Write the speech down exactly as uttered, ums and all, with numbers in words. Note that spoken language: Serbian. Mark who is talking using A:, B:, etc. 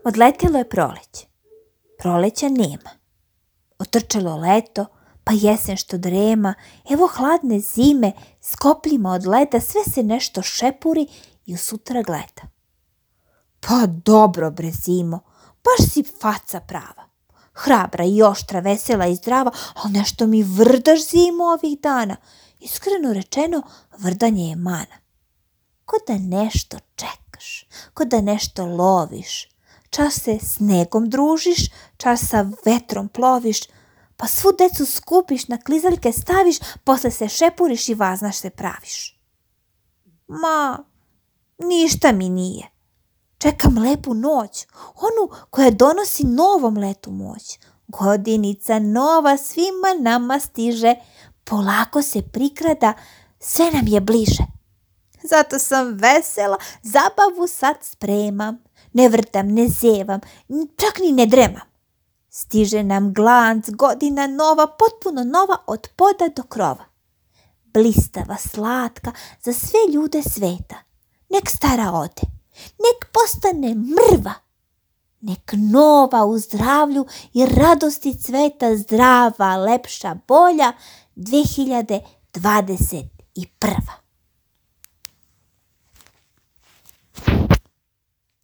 A: Odletjelo je proleće. Proleća nema. Otrčalo leto, pa jesen što drema, evo hladne zime, s kopljima od leda, sve se nešto šepuri i u sutra gleda. Pa dobro bre zimo, baš si faca prava. Hrabra i oštra, vesela i zdrava, ali nešto mi vrdaš zimo ovih dana. Iskreno rečeno, vrdanje je mana. Ko da nešto čekaš, ko da nešto loviš. Čas se snegom družiš, čas sa vetrom ploviš, pa svu decu skupiš, na klizaljke staviš, posle se šepuriš i vaznaš se praviš. Ma, ništa mi nije. Čekam lepu noć, onu koja donosi novom letu moć. Godinica nova svima nama stiže, polako se prikrada, sve nam je bliže. Zato sam vesela, zabavu sad spremam, ne vrtam, ne zevam, čak ni ne dremam. Stiže nam glanc, godina nova, potpuno nova od poda do krova. Blistava, slatka, za sve ljude sveta. Nek stara ode, nek postane mrva. Nek nova u zdravlju i radosti cveta, zdrava, lepša, bolja, dve hiljade dvadeset prva.